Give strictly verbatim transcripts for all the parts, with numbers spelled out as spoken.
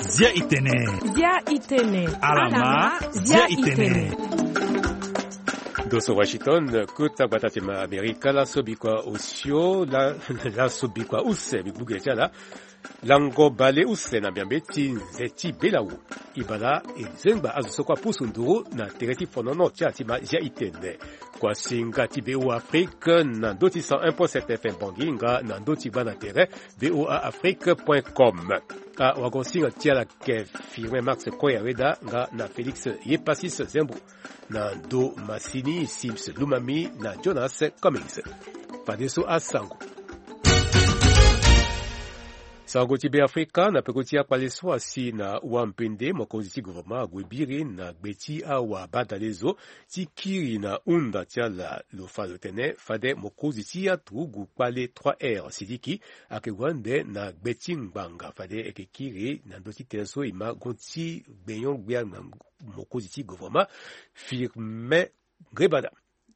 Zia itene. Zia itene. Alama, zia itene. Doso Washington, kota gbata ti ma Amerika, laso bikua osio, la, laso bikua use, bigbuge ti ala. Lango bale use na miambe ti nze ti belawu. Ibala e zengba azo so kue apusu nduru na tere ti fonono ti ala ti ma zia itene. Kua singa ti V O A Afrique na ndö ti cent un point sept F M Bangui nga na ndö ti gba na tere V O A Afrique point com. Awago singa ti ala ke Firmin Max Koyaweda nga na Félix Yepasis Zembo. Na ndo masini Sims Lumami na Jonas Cummings. Fadeso asango. Sango ti Beafrika na peko ti akpale so asi na wampende mokonzi ti gouvernement ague biri na gbe ti awa badale zo ti kiri na hunda ti ala. Lo fa lo tene fade mokonzi ti aturugu kpale trois R Sidiki ayeke gue ande na gbe ti ngbanga fade e yeke kiri na ndö ti tënë so e ma gue ti gbenyo-gbia na mokonzi ti gouvernement Firmin Ngrébada.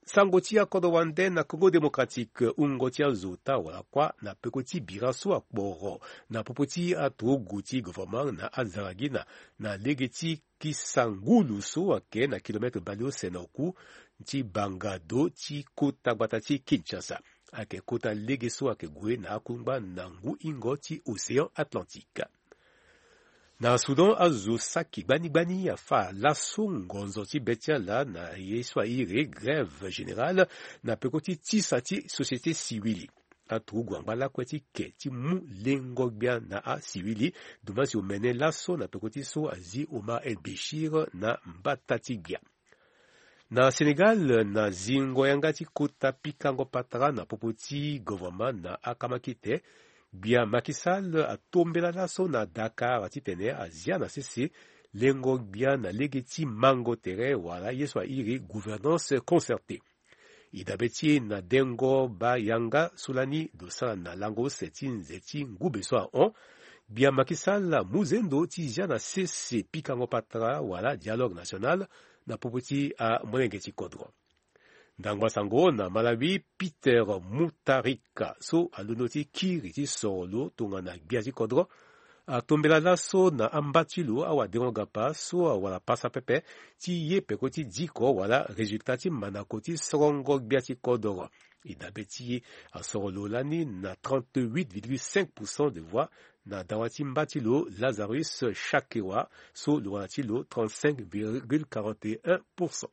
Sango ti akodro wande na Congo Démocratique, hungo ti azo ota wala kuâ na peko ti bira so akporo na popo ti aturugu ti gouvernement na Azaragina, na lege ti kisa ngulu so ayeke na kilomètre baleuse na oku ti banga do ti kota gbata ti Kinshasa. Ayeke kota lege so ayeke gue na akungba na ngu hingo ti Océan Atlantique. Na Soudan, azo saki gbani gbani afa laso ngonzo ti be ti ala na ye so airi grève générale na peko ti tisa ti société civile. Aturugu angba lakue ti ke ti mu lengo-gbia na asiwili, dumansi omene laso na peko ti so azi Omar El Béchir na mbata ti gbia. Na Sénégal, na zingo yanga ti kota pikango patara na popo ti gouvernement na akamakite, gbia Macky Sall atombela laso na Dakar titene azia na sese lengo-gbia na lege ti mango tere wala ye so airi gouvernance concertée. E dabe ti e na dengo baa yanga so lani lo sara na lango use ti nze ti ngube so ahon, gbia Macky Sall amu zendo ti zia na sese pikango patara wala dialogue national na popo ti amolenge ti kodro. Ndangba sango na Malawi, Peter Mutharika so alondo ti kiri ti soro lo tongana gbia ti kodro atombela laso na amba ti lo awadengo-gapa so awara pasa pepe ti ye peko ti diko wala résultat ti mandako ti sorongo gbia ti kodro. E dabe ti e asoro lo lani na trente-huit virgule cinq pour cent de voix na dawa ti mba ti lo Lazarus Chakewa so lo wara ti lo trente-cinq virgule quarante et un pour cent.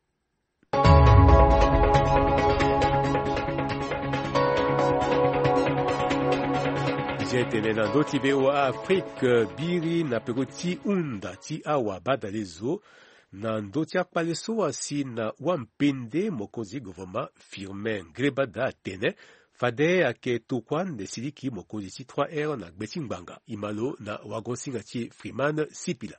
Nze tene na ndö ti V O A Afrique, biri na peko ti hunda ti awa badale zo na ndö ti akpale so asi na wampende mokonzi gouvernement Firmin Ngrébada atene fade ayeke tokua ande siliki mokonzi ti trois R na gbe ti ngbanga. E ma lo na wago-singa ti e Freeman Sipila.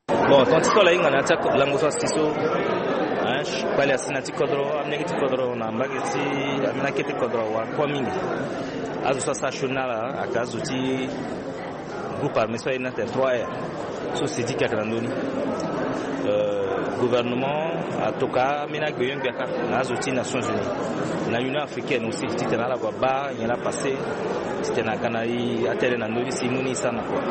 Bon, tonga ti so ala hinga na ya ti lango so asi so, hein, kpale asi na ti kodro, amolenge ti kodro na mbage ti ambeni akete kodro awara kua mingi. Azo so asara sioni na ala ayeke azo ti groupe armé so airi ni atene trois R so Sidiki ayeke na ndö ni. Euh, gouvernement atoka ambeni agbenyo-gbia kâ na azo ti Nations Unies na Union africaine aussi titene ala gue abaa nyen laa passé titene aga na e atënë na ndö ni si e mu ni e sara na kua.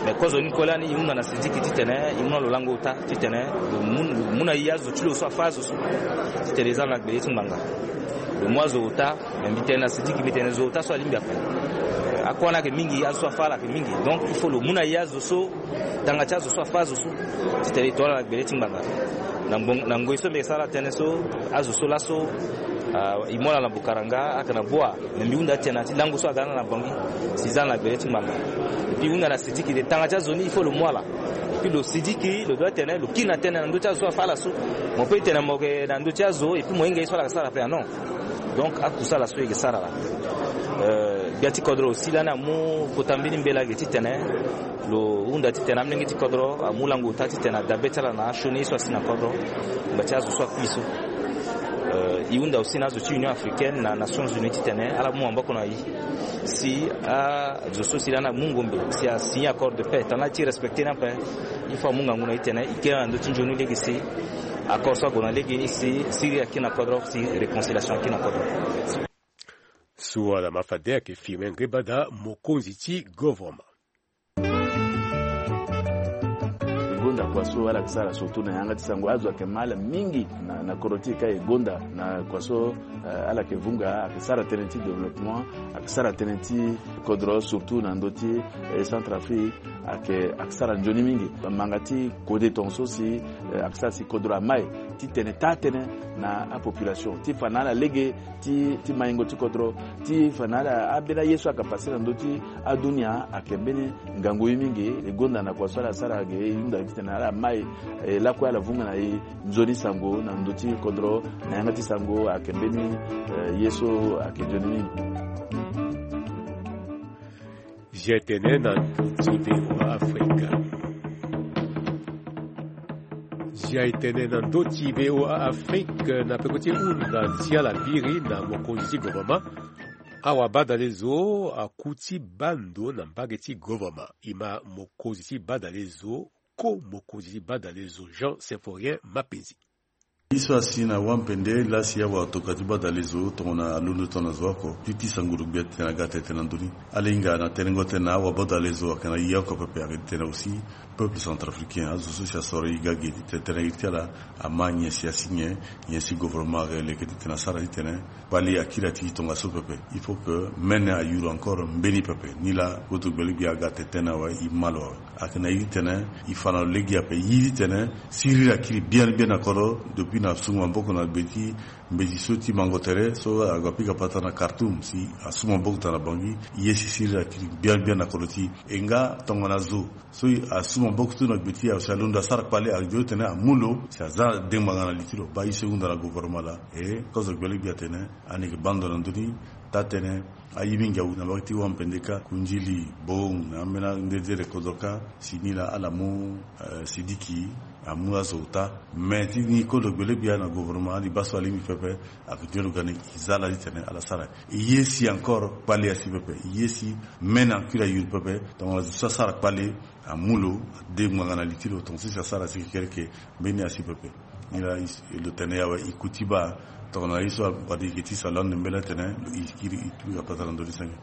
Mais kozoni kue lani e hunda na Sidiki titene e mu na lo lango ota titene lo mu, lo mu na e azo ti lo so afa azo so titene e za na gbele ti ngbanga. Lo mu azo ota, mais mbi tene na Sidiki, mbi tene zo ota so alingbi ape. Akua ni ayeke mingi, azo so afa ala ayeke mingi. Donc il faut lo mu na e azo so, tanga ti azo so afa azo so titene e to ala na gbele ti ngbanga. Na ngbon-, na ngoi so mbi yeke sara ala tënë so, azo so laso, ah, e mu ala na Bukaranga, ayeke na Boa. Mais mbi hunda titene na ya ti lango so aga na ala na Bangui si e za ala na gbele ti ngbanga. Et puis e hunda na Sidiki titene tanga ti azo ni il faut lo mu ala. Et puis lo Sidiki lo doit tene lo kiri na tënë na ndö ti azo so afa ala so. Mo peut tene mo yeke na ndö ti azo et puis mo hinga ye so ala yeke sara ape, ah non. Donc akusa ala so e yeke sara laa. Euh, gbia ti kodro aussi lani amu kota mbeni mbela ge titene lo hunda titene amolenge ti kodro amu lango ota titene adabe ti ala na asioni ye so asi na kodro. Ngba ti azo so akui so. Euh, e hunda aussi na azo ti Union africaine na Nations Unies titene ala mu maboko na e. Si azo so si lani amu ngombe si asigné accord de paix tongana ala ti respecté ni ape, il faut amu ngangu na e titene e kiri ala na ndö ti nzoni lege si accord so ague na lege ni si siriri akiri na kodro si réconciliation akiri na kodro. So ala ma fade ayeke firme ngbada mokonzi ti govoroma. Gonda kua so ala yeke sara surtout na yanga ti sango azo ayeke ma ala mingi na, na kodro ti e ka e gonda na kua so, eh, ala yeke vunga ayeke sara tënë ti développement, ayeke sara tënë ti kodro surtout na ndö ti, eh, Centrafrique. Ayeke, ayeke sara nzoni mingi. Manga ti kode tongaso si, eh, ayeke sara si kodro ama e ti tene taa tënë na apopulation ti fa na ala lege ti, ti maingo ti kodro, ti fa na ala ambeni aye so ayeke pase na ndö ti adunia ayeke mbeni ngangu ye mingi. E gonda na kua so ala sara ge e hunda titene ala ma e, eh, lakue ala vunga na e nzoni sango na ndö ti kodro na yanga ti sango ayeke mbeni, eh, ye so ayeke nzoni mingi. Zia e tene na ndö ti V O A Afrika. Zia e tene na ndö ti V O A Afrique na peko ti hunda ti ala biri na mokonzi ti govoroma. Awabadalezo aku ti baa ndo na mbage ti govoroma. E ma mokonzi ti badalezo, ko mokonzi ti badalezo Jean Symphorien Mapenzi. Ye so asi na wampende laa si awatokua ti badalezo tongana alondo tongana zo oko ti ti sango lo gbia titene aga tene tene na ndö ni. Ala hinga na tenengo tënë na awabadalezo ayeke na ye oko pepe ayeke titene aussi peuple centrafricain azo so si asoro e ga ge titene tënë iri ti ala ama nyen si asi nyen, nyen si gouvernement ayeke leke titene asara titene kpale akiri ati e tongaso pepe. Il faut que mene ayuru encore mbeni pepe. Nilaa goto gbele gbia aga tene tënë awe e ma lo awe. Ayeke na iri tene e fa na lo lege ape iri tene siriri akiri biani biani na kodro depuis na sungo maboko na gbe ti mbeti so ti mango tere so ague apika patara na Khartoum si asu maboko tara na Bangui. Ye si siriri akiri biani biani na kodro ti e nga tongana zo so asu maboko ti lo na gbe ti e awe si alondo asara kpale ague tene amu lo si aza dengbanga na li ti lo baa ye so e hunda na gouvernement laa. E kozo gbele gbia atene ani yeke baa ndo na ndö ni. Taa tënë aye mingi awu na mbage ti wampende kâ kundili bong na ambeni andedere kodro kâ si ni laa ala mu, eh, sidiki amu azo ota. Me ti ni kozo gbele gbia na gouvernement ali baa so alingbi pepe. Ayeke nzoni lo ga ni e za ala titene ala sara. E ye si encore kpale asi pepe e ye si mene akiri ayuru pepe tongana zo so asara kpale amu lo ade ngbanga na li ti lo tongaso si asara si kekereke mbeni asi pepe. Nilaa lo tene awe e ku ti baa tongana ye so abadi yeke ti so alande mbeni atene lo e kiri e tu apatara ndoni senge.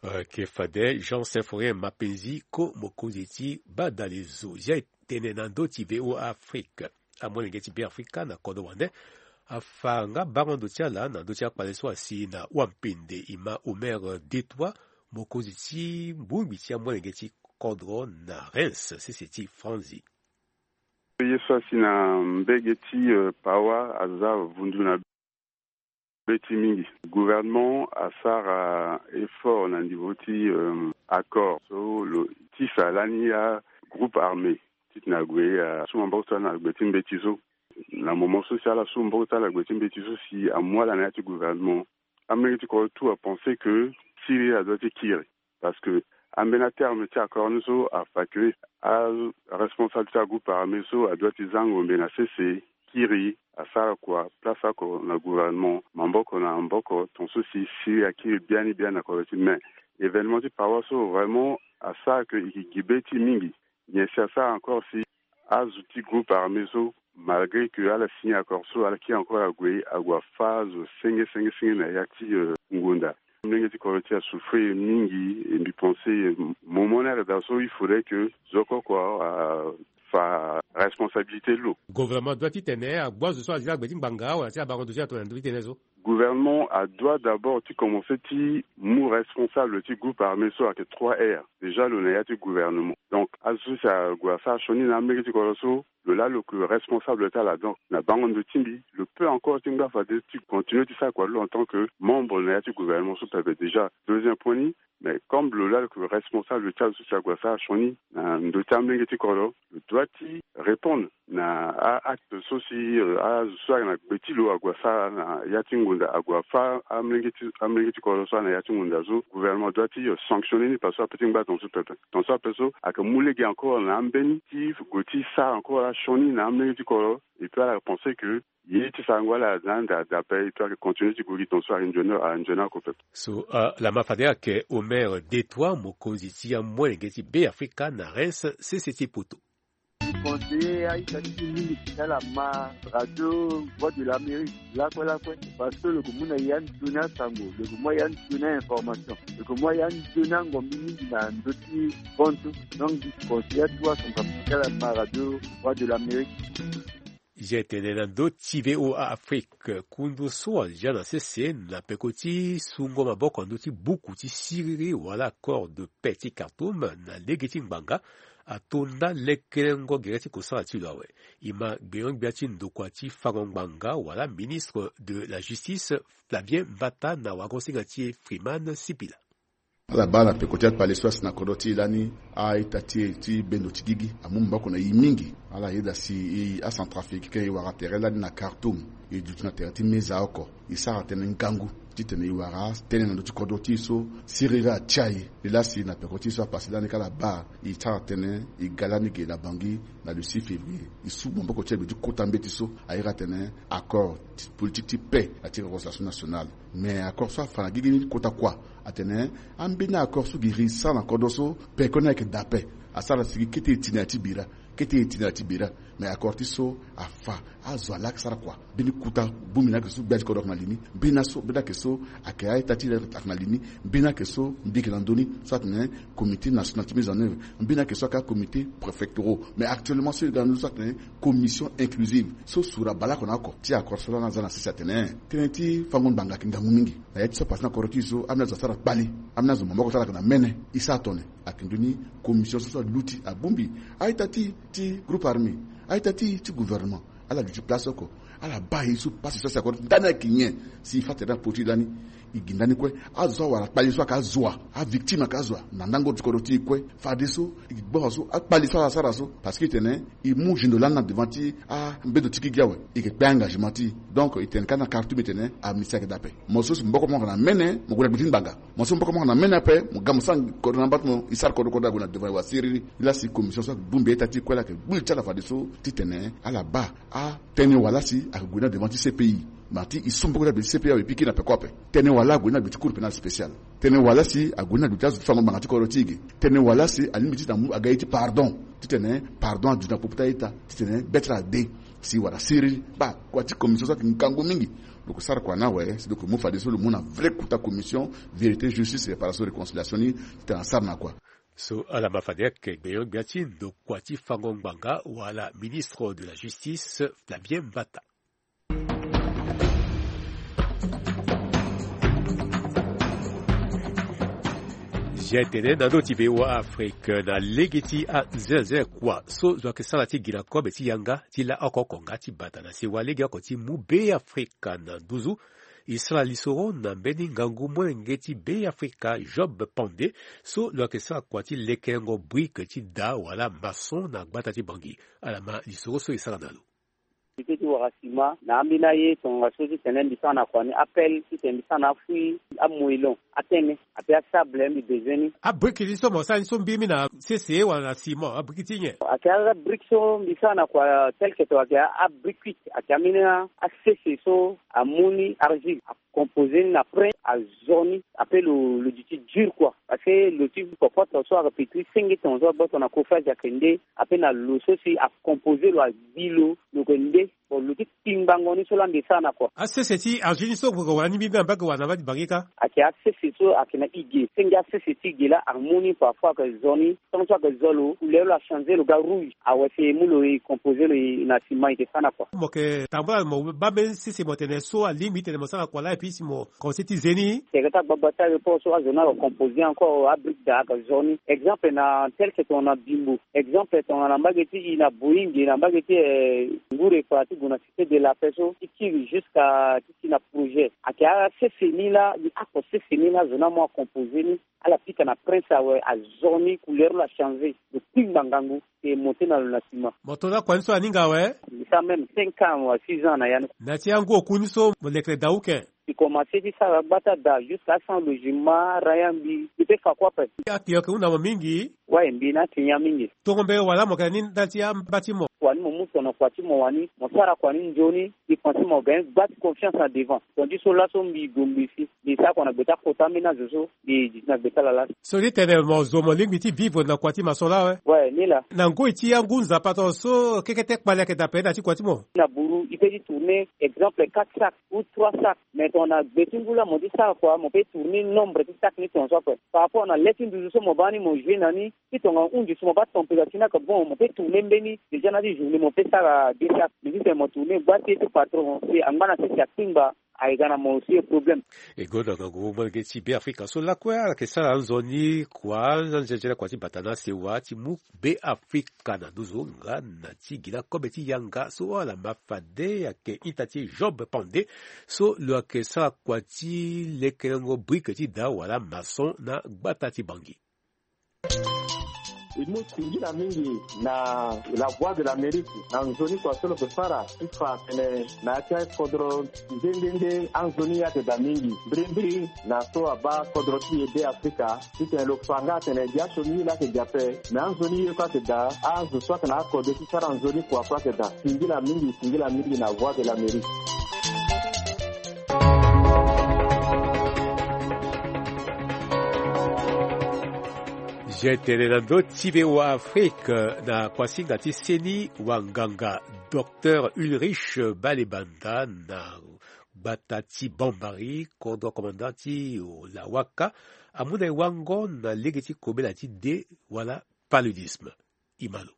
Ayeke fade Jean Symphorien Mapenzi ko mokonzi ti badalezo zia e tene na ndö ti V O A Afrique. Amolenge ti Beafrika na kodro wande afa nga bango ndo ti ala na ndö ti akpale so asi na wampende e ma Omer Detois mokonzi ti bongbi ti amolenge ti kodro na Reims sese ti Franzi. Ye so asi na mbege ti, euh, Pawa aza vundu na be ti mingi. Gouvernement asara effort na niveau ti, euh, accord so lo tisa lani agroupe armé titene ague asu maboko so na gbe ti mbeti so. Na moment so si ala su maboko so na gbe ti mbeti so si amu ala na ya ti gouvernement, amolenge ti kodro tout apense que siriri adoit ti kiri. Parce que ambeni aterme ti accord ni so afa que aresponsable ti agroupe armé so adoit ti za ngombe na sese, kiri asara kua place oko na gouvernement maboko na maboko tongaso si siriri akiri biani biani na kodro ti. Mais événement ti Pawa so vraiment asara que e yeke gi be ti e mingi. Nyen si asara encore si azo ti groupe armé so, malgré que ala signé accord so, ala kiri encore ague ague afa azo senge senge senge na ya ti, euh, ngonda. Amolenge ti kodro ti asouffrir mingi. E mbi pense, euh, moment ni ayeke daa so il faudrait que zo oko oko afa responsabilité ti lo. Gouvernement adoit titene agbu azo so azi na gbe ti ngbanga wala ti abango ndo ti atongana ndo ti tene so. Gouvernement adoit d'abord ti commencer ti mu responsable ti groupe armé so ayeke trois R. Déjà lo na ya ti gouvernement. Donc azo so si ague asara sioni na amolenge ti kodro so, lo laa lo yeke responsable ti ala. Donc na bango ndo ti mbi lo peut encore ti ngba fade ti continuer ti sara kua lo en tant que membre na ya ti gouvernement so pepe. Déjà deuxième point ni. Mais comme lo laa lo yeke responsable ti azo so si ague asara sioni na ndo ti amolenge ti kodro, lo doit ti répondre na a acte so si, euh, azo so ayeke na gbe ti lo ague asara na ya ti ngonda, ague afa amolenge ti, amolenge ti kodro so ana ya ti ngonda so, gouvernement doit ti, euh, sanctionner ni parce que ape ti ngba tongaso pepe. Tongaso ape so ayeke mu lege encore na ambeni ti gue ti sara encore asioni na amolenge ti kodro. Et puis ala pense que ye ti sarango ala na anda daa ape, et puis ayeke continuer ti gue gi tongaso ayeke nzoni, ayeke nzoni oko pepe. So, euh, lama fade ayeke Omer Detois mokonzi ti amolenge ti Beafrika na Reims sese ti poto. Conseiller aita ti mingi ti ala ma radio Voix de l'Amérique lakue lakue, parce que lo yeke mu na ya nzoni asango, lo yeke mu ya nzoni a-information, lo yeke mu ya nzoni angombi mingi na ndö ti kontu. Donc conseiller atu asango ti ala ma radio Voix de l'Amérique. Zia tene na ndö ti V O A Afrique, kundu so azia na sese na peko ti sungo maboko na ndö ti buku ti siriri wala accord de paix ti Khartoum na lege ti ngbanga, atonda lekelengo gere ti kosala ti lo awe. E ma gbenyo-gbia ti ndokua ti fango ngbanga wala ministre de la justice, Flavien Mbata, na wagosinga ti e Freeman Sipila. Ala baa na peko ti akpale so asi na kodro ti e lani, a-ita ti e ti bendo ti gigi amu maboko na e mingi. Ala yeda si e acentrafricain e wara tere lani na Khartoum, e duti na tere ti meza oko. E sara tënë ngangu titene e wara tënë na ndö ti kodro ti e so siriri atia e. Lelasi na peko ti e so apase lani ka ala baa, e sara tënë e ga lani ge na Bangui na le six février. E su maboko ti e na gbe ti kota mbeti so a iri atene accord ti politique ti paix na ti réconciliation nationale. Mais accord so afa na gigi ni kota kua? Atene ambeni accord so giri sara na kodro so, peko ni ayeke da ape. Asara si gi kete e ti na ya ti bira, kete e ti na ya ti bira. Mais accord ti so afa, azo alaa ayeke sara kua. Mbeni kuta bongbi ni ayeke so gbia ti kodro ayeke na li ni. Mbeni aso, mbeni ayeke so ayeke a-ita ti ayeke na li ni. Mbeni ayeke so mbi yeke na ndö ni so atene comité national ti mise en œuvre. Mbeni ayeke so ayeke acomité préfectoraux. Mais actuellement so e ga na ndö ni so atene commission inclusive so sura baleoko na oko. Ti accord so lani aza na sese atene tënë ti fango ngbanga ayeke ngangu mingi. Na ya ti so apase ni na kodro ti e so, ambeni azo asara kpale, ambeni azo maboko ti ala ayeke na mene. E sara tone. Ayeke ndö ni commission so so aluti abongbi a-ita ti e ti groupe armé, a-ita ti e ti gouvernement. Ala duti place oko, ala baa e so pasi so asi na kodro ti e ndani ayeke nyen? Si e fa tere na poto ti e lani, e gi ndani kue. Azo awara kpale so ayeke azo wa, avictime ayeke azo wa na ndango ti kodro ti e kue. Fadeso e gi gbanga so akpale so ala sara so, parce que e tene e mu zendo lani na devant ti ambendo ti gigi awe. E yeke kpe engagement ti e. Donc e tene kâ na Khartoum e tene amnistie ayeke daa ape. Mo so si maboko mo ayeke na mene, mo gue na gbe ti ngbanga. Mo so maboko mo ayeke na mene ape, mo ga mo sara kodro na mba ti mo, e sara kodro kodro ague na devant e wa siriri. Lasi commission so ayeke bongbi a-ita ti e kue laa ayeke gbu li ti ala fadeso titene ala baa atënë wala si ayeke gue ni na devant ti C P I. Ma ti e so maboko ti ala gbe ti C P I awe, e piki na peko ape. Tënë wala ague ni na gbe ti cour pénale spéciale. Tënë wala si ague ni na gbe ti azo ti fango ngbanga ti kodro ti e ge. Tënë wala si alingbi titene amu aga ye ti pardon, titene pardon aduti na popo ti a-ita, titene be ti ala ade. Si e wara siriri. Baa kua ti commission so ayeke ngangu mingi. Lo yeke sara kua ni awe si lo yeke mu fadeso lo mu na vrai kuta commission vérité, justice, réparation, réconciliation ni titene asara na kua. So ala ma fade ayeke gbenyo-gbia ti ndokua ti fango ngbanga wala ministre de la justice, Flavien Mbata. Zia tene na ndö ti V O A Afrique, na lege ti azenze kua so zo ayeke sara ti gi na kobe ti yanga ti la oko oko nga ti bata na sewa legeoko ti mu Beafrika na nduzu. E sara lisoro na mbeni ngangu molenge ti Beafrika, Job Pande, so lo yeke sara kua ti lekerengo brique ti da wala maçon na gbata ti Bangui. Ala ma lisoro so e sara na lo. Ti wara sima na ambeni aye tongana so titene mbi sara na kua ni, appel titene mbi sara na afui, amoellon, atene ape asable mbi bezoin ni. Abriki ti so mo sara ni so mbiri mi na sese wala na sima, abriki ti nyen? Ayeke abriki so mbi sara na kua tel que ton ayeke abrikuite, ayeke ambeni asese so amu ni argile, akompose ni na prin, azo ni, ape lo lo duti dur kua. Parce que lo ti kopoto so ayeke pe ti senge ton so agboto na kofage ayeke nde, ape na lo so si akompose lo, agbi lo, lo yeke nde. Bon, lo ti kpingbango ni so laa mbi sara na kua. Asese ti argile ni so lo yeke wara ni mbiri na mbage wala na mbage ti Bangui kâ? Ayeke asese so ayeke na ige. Senge asese ti ige laa amu ni parfois ayeke zo ni. Tant so ayeke zo lo, couleur lo achange lo ga rouge. Awe si e mu lo e composer lo e na sima e yeke sara na kua. Mo yeke tambula mo baa mbeni sese mo tene so alingbi titene mo sara na kua laa et puis si mo commencer ti ze ni. Tere ti agbagba ti aéroport so azo ni ayeke composer encore abrique daa ayeke zo ni. Exemple na tel que tongana Bimbo. Exemple tongana mbage ti e na Boeing na mbage ti, eh, Ngour Epa ti gue na Cité de la Paix so ti kiri jusqu'à ti ti na projet. Ayeke asese ni laa, ni oko sese ni laa azo ni amu acomposer ni. Ala pika na prince awe, azo ni couleur lo achange. Lo kpingba ngangu, e monter na lo na sima. Mo to na kua ni so aninga awe? Mbi sara même cinq ans wala six ans na ya ni. Na ti angu oku ni so mo lekere daa uke? Mbi Komanse ti sara gba ti ada jusqu'à cent logement, raya mbi mbi pe fa kue ape. Akio yeke hunda mo mingi. Wai, mbi na ti nyen mingi. Tongo mbere wala mo yeke na ni ndali ti amba ti mo? Wani mo mu tongana kua ti mo wani mo sara kua ni nzoni. Mbi pense mo ga ni gba ti confiance na devant. Tongana ti so laso mbi gue mbi si mbi sara kua na gbe ti akota ambeni azo so mbi di ti na gbe ti ala laso. So ti tene mo zo mo lingbi ti vivre na kua ti maçon laa awe. Wai, ni laa. Na ngoi ti angu nzapa tongaso kekete kpali ayeke daa pene na ti kua ti mo? Na buru e pe ti tourner exemple quatre sacs ou trois sacs. Mais tongana gbe ti ngu laa mo ti sara kua mo pe tourner nombre ti sacs ni tongaso ape. Par rapport na le ti nduzu so mo baa ni mo jouer na ni, ti tongana hunzi so mo baa température ni ayeke bon mo pe tourner mbeni déjà na ti journée mo pe sara deux sacs. Mais ti tene mo tourner gba ti e ti patron si angba na sese akpingba. Ayeke ga na mo aussi problème. E gonda ngangu molenge ti Beafrika so lakue ala yeke sara anzoni kua na nzenze na kua ti bata na sewa ti mu Beafrika na nduzu nga na ti gi na kobe ti yanga so ala ma fade ayeke ita ti Job Pande so lo yeke sara kua ti lekerengo brique ti da wala maçon na gbata ti Bangui. E mu singila mingi na La Voix de l'Amérique na nzoni kua so lo yeke sara ti fa atene na ya ti akodro nde nde nde anzoni ayeke daa mingi mbirimbiri na so abaa kodro ti e Beafrika. Titene lo fa nga atene gi aso ni ye laa ayeke gi ape. Me anzoni ye kue ayeke daa. Azo so ayeke na akode ti sara nzoni kua kue ayeke daa. Singila mingi, singila mingi na Voix de l'Amérique. Je tene na ndö ti V O A Afrique na kuasinga ti seni wanganga Docteur Ulrich Balebanda na gbata ti Bambari, kodro commandant ti Lawaka, amu na e wango na lege ti kobela ti de wala paludisme. Imalo.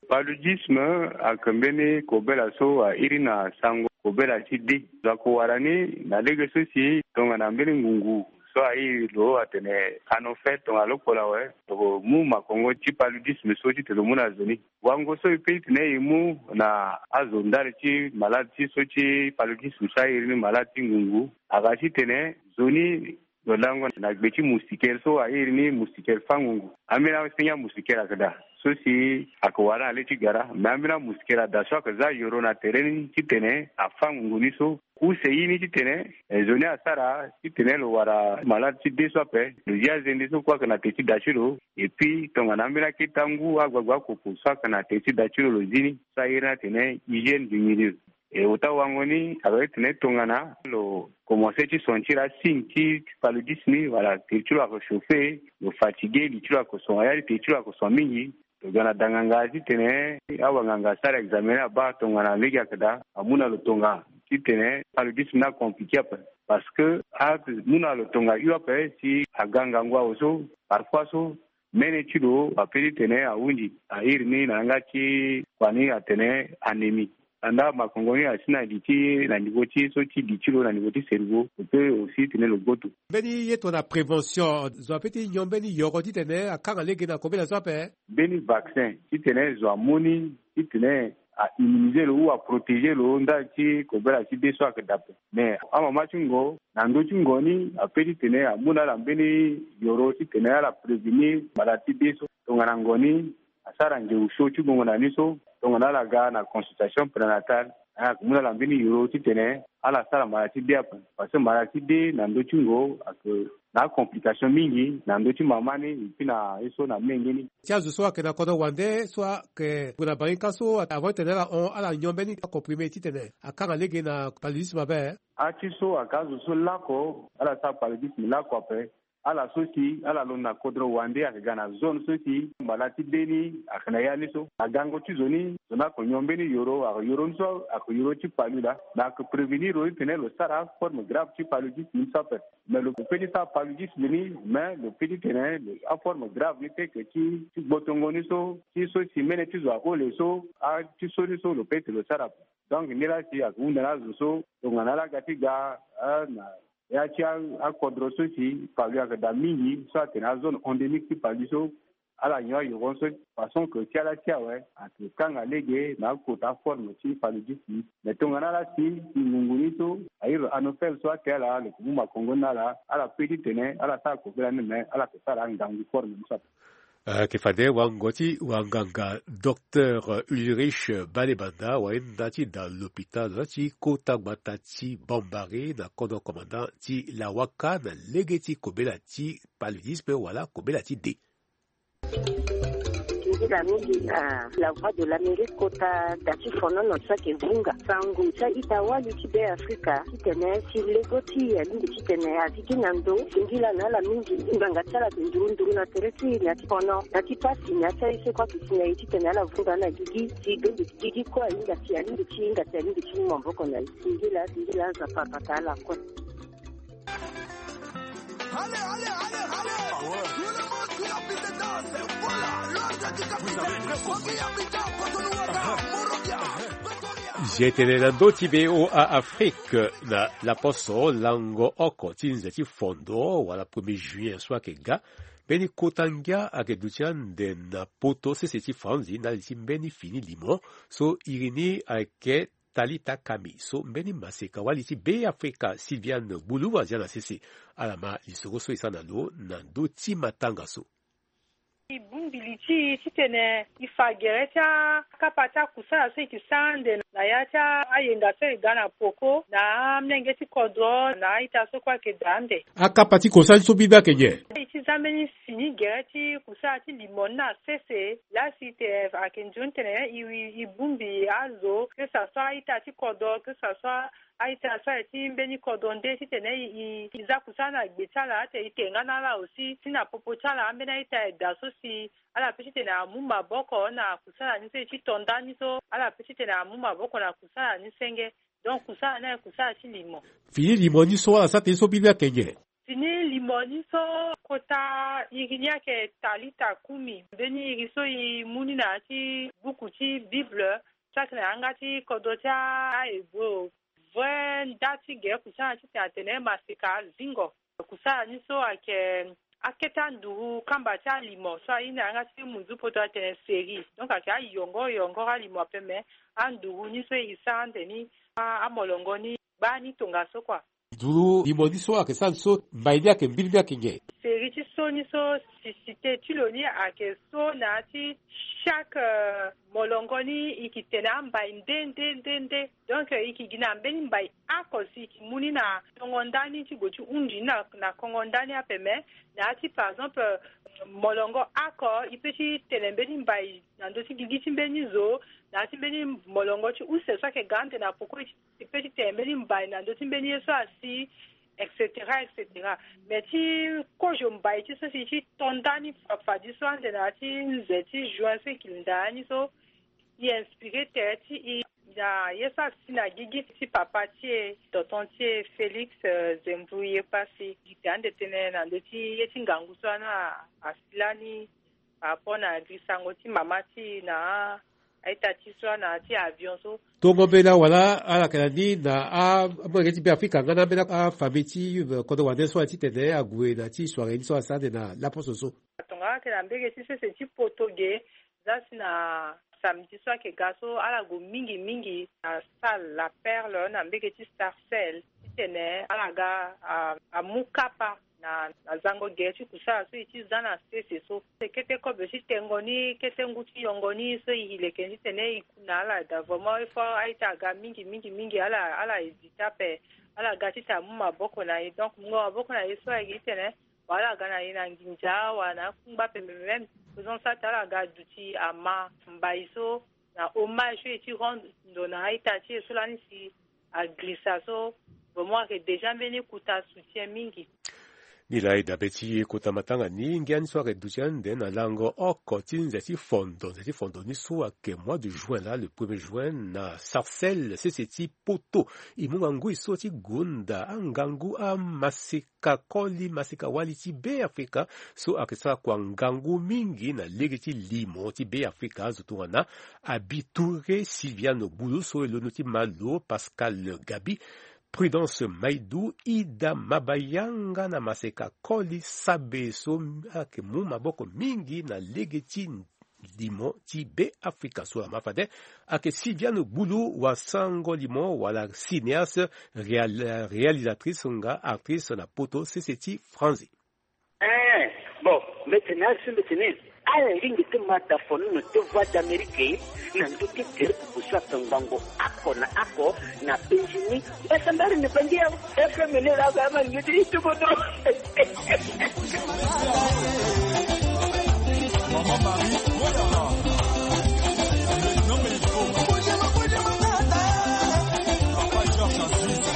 Paludisme ayeke mbeni kobela so airi na sango kobela ti de. Lo yeke wara ni na lege so si tongana mbeni ngungu so airi lo atene anofel tongana lokpolo awe. Lo mu makongo ti paludisme so titene lo mu na zo ni. Wango so e pe titene e mu na azo ndali ti malade ti so ti paludisme so airi ni malade ti ngungu aga titene zo ni lo lango na gbe ti moustiquaire so airi ni moustiquaire fâ ngungu. Ambeni asenge amoustiquaire ayeke daa so si ayeke wara na le ti gara. Me ambeni amoustiquaire ada so ayeke za yoro na tere ni titene afâ ngungu ni so. Use ye ni titene zo ni asara titene lo wara malade ti de so ape. Lo zi azende so kue ayeke na te ti da ti lo. Et puis tongana ambeni akete angu agbagba akoko so ayeke na te ti da ti lo lo zi ni so airi ni atene hygiène du milieu. E ota wango ni ayeke titene tongana lo komanse ti sentir asigne ti paludisme ni wala te ti lo ayeke chauffer, lo fatigué, li ti lo ayeke son, ayali te ti lo ayeke son mingi. Lo ga na da nganga titene awanganga asara examen ni abaa tongana lege ayeke daa amu na lo tonga titene paludisme ni acompliqué ape. Parce que amu na lo tonga hio ape si aga ngangu awe so parfois so mene ti lo ape titene ahunzi airi ni na yanga ti kua ni atene anémie. Andaa makongo ni asi na li ti na niveau ti so ti li ti lo na niveau ti cerveau lo pe aussi tene lo gboto. Mbeni ye tongana prévention zo ape ti nyon mbeni yoro titene akanga lege na kobela so ape. Mbeni vaccin titene zo amu ni titene a immuniser lo ou a protéger lo ndali ti kobela ti de so ayeke dape. Mais amama ti ngo na ndö ti ngo ni ape titene amu na ala mbeni yoro titene ala prévenir malade ti de so. Tongana ngo ni asara ngeu so ti gongo na ni so tongana ala ga na consultation prénatale. Ayeke mu na ala mbeni yoro titene ala sara mara ti de ape. Parce que mara ti de na ndö ti ngo ayeke na acomplication mingi na ndö ti mama ni et puis na ye so na menge ni. Ti azo so ayeke na kodro wande so ayeke gue na bangika so avant titene ala hon ala nyon mbeni acomprimé titene akanga lege na paludisme ape. Ati so ayeke azo so lako ala sara paludisme lako ape. Ala so si ala londo na kodro wande ayeke ga na zone so si mbala ti de ni ayeke na ya ni so na gango ti zo ni zo ni ayeke nyon mbeni yoro ayeke yoro ni so ayeke yoro ti palu laa. Me ayeke prévenir lo titene lo sara aforme grave ti paludisme ni so ape. Mais lo pe ti sara paludisme ni mais lo pe titene aforme grave ni ti yeke ti ti gbotongo ni so ti so si mene ti zo ahole so ati so ni so lo pe ti lo sara ape. Donc ni laa si ayeke hunda na azo so tongana ala ga ti ga na ya ti akodro so si palu ayeke daa mingi so atene azone endémique ti palu so ala nyon ayoro ni so façon que ti ala ti awe ayeke kanga lege na akota aforme ti paludisme. Mais tongana ala si ngungu ni so airi lo anophèle so ake ala lo yeke mu makongo ni na ala ala pe titene ala sara kobela ni mais ala yeke sara angangu forme ni so ape. Ayeke fade wango ti wanganga Docteur Ulrich Balebanda, wahinda ti da lopitalo ti kota gbata ti Bambari na kodro commandant ti Lawaka na lege ti kobela ti paludisme wala kobela ti de. Nzila mingi na La Voix de l'Amérique kota da ti fonono ti ayeke vunga sango ti a-ita wali ti Be Afrika titene si lego ti e alingbi titene aziki na ndo. Singila na ala mingi, ngbanga ti ala ayeke nduru nduru na tere ti e na ya ti fono, na ya ti pasi, na ya ti aye so kue ayeke si na e titene ala vunga na gigi si bembe ti gigi kue ahinga si alingbi ti hinga si alingbi ti mu maboko na e. Singila, singila, Nzapa abata ala kue. Allez, allez, allez, allez. Tout le monde sur la piste de danse. Voilà, l'ordre du capitaine. Bobby Abidjan, Cotonou, Ouaga, Monrovia, Pretoria. Jetene na ndö ti V O A Afrique na laposo lango oko ti nze ti fondo wala premier juin so ayeke ga. Mbeni kota ngia ayeke duti ande na poto sese ti Franzi ndali ti mbeni fini limo so iri ni ayeke Talita Kami. So mbeni maseka wali ti Be Afrika Sylviane Gbulu azia na sese. Ala ma lisoro so e sara na lo na ndö ti matanga so. E bongbi li ti e titene e fa gere ti akapa ti akusala so e yeke sara ande na ya ti ayenga so e ga na poko na amolenge ti kodro na a-ita so kue ayeke daa ande. Akapa ti kosala so mbi be ayeke nyen? E ti za mbeni fini gere ti kusala ti limo ni na sese. Laa si e tene ayeke nzoni tene e, e, e bongbi azo, que ça soit a-ita ti kodro, que ça soit a-ita so aye ti mbeni kodro nde titene e, e, e za kusala na gbe ti ala, ate e tenga na ala aussi si na popo ti ala ambeni a-ita aye daa so si ala peut titene amu maboko na kusala ni so e ti to ndani so, ala peut titene amu maboko na kusala ni senge. Donc kusala ni aye kusala ti limo. Fini limo ni so ala sara tënë so mbi be ayeke nyen? Fini limo ni so kota iri ni ayeke Talita Kumi. Mbeni iri so e mu ni na ya ti buku ti Bible so ayeke na yanga ti kodro ti a-Hébreu. Vrai nda ti gere kusala titene atene maseka zingo. Kusala ni so ayeke akete anduru kamba ti alimo so aye na yanga ti munzu poto atene série. Donc ayeke ayongoro yongoro alimo ape, me anduru ni so e sara ande ni a, amolongo ni gbaa ni tongaso kua. Nduru limo ni so ayeke sara ni so, mbai ni ayeke mbiri ni ayeke nyen? Série ti so ni so, sisite ti lo ni ayeke so na ya ti chaque, euh, molongo ni e yeke tene ambai nde nde nde nde. Donc e yeke gi na mbeni mbai oko si e yeke mu ni na tongo ndani ti gue ti hunzi ni na, na kongo ndani ape, me na ya ti par exemple, euh, molongo oko e peut ti tene mbeni mbai na ndö ti gigi ti mbeni zo, na ya ti mbeni molongo ti use so ayeke ga ande na poko e ti, e peut ti tene mbeni mbai na ndö ti mbeni ye so asi, et cetera, et cetera. Me ti kozo mbai ti so si e ti to ndani fa, fadiso ande na ya ti nze ti juin so e yeke linda ni so, e inspiré tere ti e na ye so asi na gigi ti papa ti e, tonton ti e Félix, euh, Zembou Yepasi. E yeke ande tënë na ndö ti ye ti ngangu so ana asi lani par rapport na girisango ti mama ti e na a-ita ti e so ana ti avion so. Tongo mbela wala ala yeke na ni na a, amolenge ti Be Afrika nga na ambeni afamille ti, euh, kodro wande so ala titene ague na ti soirée ni so asara ande na laposo so? Tongana ala yeke na mbege ti sese ti poto ge, za si na samedi so ayeke ga so ala gue mingi mingi na salle La Perle na mbege ti Sarcelles titene ala ga a, amu kapa na, na zango gere ti kusala so e ti za na sese so. Kete kobe ti tengo ni, kete ngu ti yongo ni so e leke ni titene e ku na ala daa. Vraiment il faut a-ita aga mingi mingi mingi, ala, ala hésité ape, ala ga titene amu maboko na e. Donc mungo maboko na e so ayeke titene wala aga na e na nginza wala na akungba ape, même faisant ça ti ala aga duti ama mbai so na hommage so e ti rendre ndo na a-ita ti e so lani si agirisa so. Vraiment ayeke déjà mbeni kota soutien mingi. Ni laa e dabe ti kota matanga ni, ngia ni so ayeke duti ande na lango oko ti nze ti fondo, nze ti fondo ni so ayeke mois de juin laa, le premier juin na Sarcelles sese ti poto. E mu ngangui so ti gonda angangu amaseka koli, maseka wali ti Be Afrika so ayeke sara kua ngangu mingi na lege ti limo ti Be Afrika, azo tongana Abi Touré, Sylviane Gbulu so e londo ti Malo, Pascal Gabi, Prudence Maidou, Ida Mabayanga na maseka koli Sabe so ayeke mu maboko mingi na lege ti limo ti Be Afrika. So ama fade ayeke Sylviane Gbulu, wasango limo wala cinéaste, réal-, réalisatrice nga actrice na poto sese ti Franzi. Eh, bon, mbeti merci, mbeti ni. Ala lingbi ti ma da fo ni na te Voix d'Amérique na ndö ti tere ti pusu ape ngbongo oko na oko na Benjini. Mbasambala ni bangi ya F M ni la ga ma ngi ti tukutu. Maman Marie, oh là là. Non, mais il faut. Papa Georges Aziz.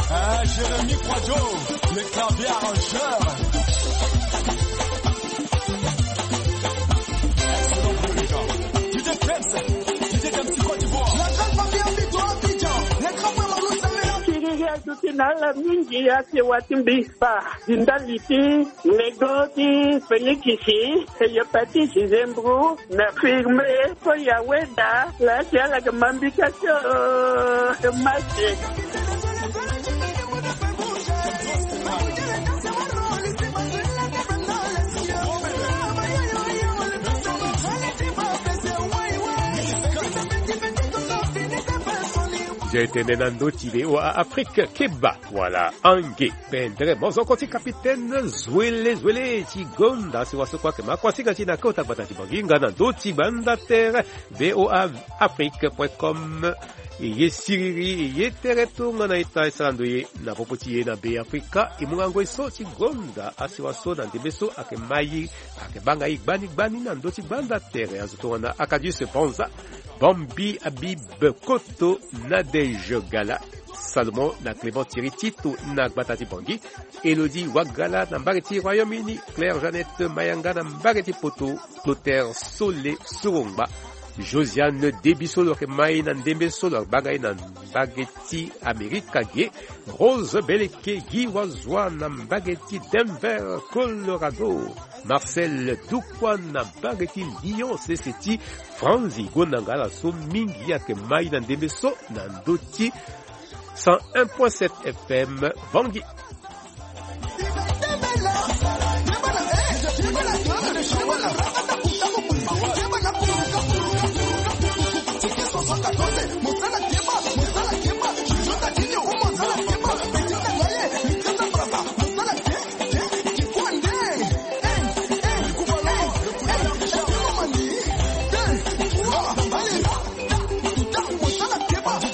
Ah, Jérémy Kwadjo, le clavier arrangeur. Excellent pour le gars. D J James, D J James Côte d'Ivoire. La grande famille Abidjan, Abidjan. Les grands frères Marlou Samela. Kiriri aduti na ala mingi, asewa ti mbi spa. Di ndali ti lego ti Félix si, hépatite zembro na firme, po ya weda la si ala yeke ma mbi ka ti, oh, match. Nze tene na ndö ti V O A Afrique, keba wala ange. Pendere mozoko ti kapitene zwele zwele ti gonda si waso kue ayeke ma kuasinga ti e na kota gbata ti Bangui nga na ndö ti gbanda tere V O A Afrique point com. E ye siriri, e ye tere tongana ita e sara ndo ye na popo ti e na Be Afrika. E mu ngangu e so ti gonda asiwa so na ndembe so ayeke ma e, ayeke banga e gbani gbani na ndö ti gbanda tere. Azo tongana Acadius Panza, Bambi Habib Koto, Nadège Gala, Salomon na Clément Thierry Tito na gbata ti Bangui, Elodie Wagala na mbage ti Royaume-Uni, Claire Jeannette Mayanga na mbage ti Poto, Clotaire Sole Sorongba, Josiane Debiso lo yeke ma e na ndembe so lo banga e na mbage ti Amerika ge, Rose Beleke Guy Wazua na mbage ti Denver, Colorado, Marcel Dukwa na mbage ti Lyon, sese ti Franzi. Gonda nga ala so mingi ayeke ma e na ndembe so na ndö ti cent un point sept F M Bangui.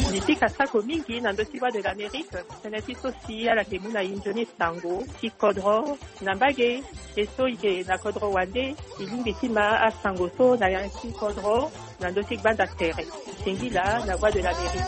Mbi pika sako mingi na ndö ti Voix de l'Amérique. Tënë ti so si ala yeke mu na e nzoni sango ti kodro na mbage. E so e yeke na kodro wande, e lingbi ti ma asango so na ya ti kodro na ndö ti gbanda tere. Singila na Voix de l'Amérique.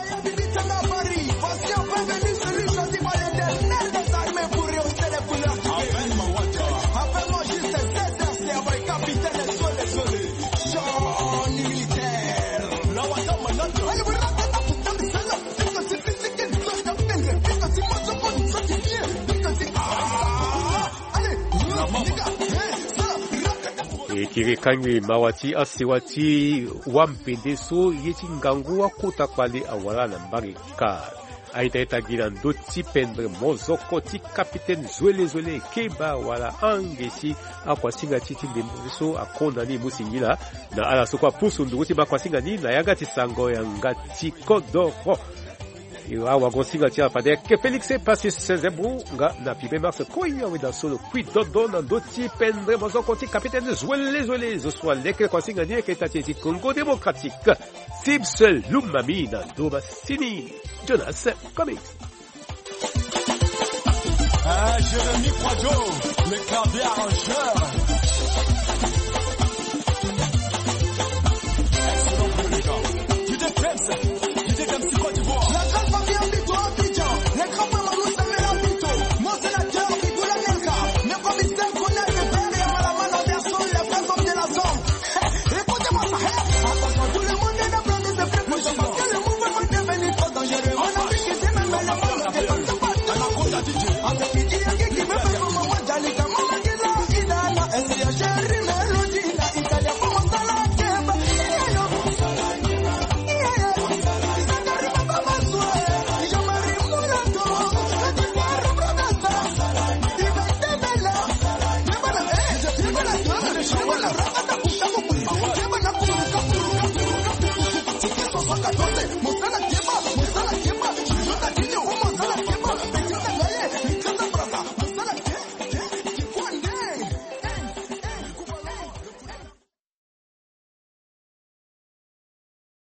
E kiri kangbi mawa ti asewa ti wampende so ye ti ngangu akota kpale awara na mbage ka. A-ita-ita gi na ndö ti pendre mozoko ti kapitene zwele zwele keba wala ange si akuasinga ti e ti ndembe so akonda ni e mu singila na ala so kue apusu nduru ti ma kuasinga ni na yanga ti sango yanga ti kodoro. Awagosinga ti ala fade ayeke Félix Passus Zebro nga na Pibe Mars Koya weda so lo kui dodo na ndö ti pendre mozoko ti kapitene zwele zwele zo so aleke kuasinga ni ayeke ita ti e ti Congo Démocratique, Tips Lumami na ndo masini Jonas Comics. Ah, Jérémy Kwadjo, le clavier arrangeur. Excellent pour le gars. D J James, D J James Côte d'Ivoire. La grande famille Abidjan, Abidjan. Les grands frères Marlou Samela Abidjan. Mon sénateur, Nicolas Nelka. Le commissaire Colin de Père et Malamana Verson, les vrais hommes de la zone. Écoutez-moi ça, hey. Attention, tout le monde est dans le monde, c'est plus que ça. Parce que le mouvement est devenu trop dangereux. On a vu que c'est même les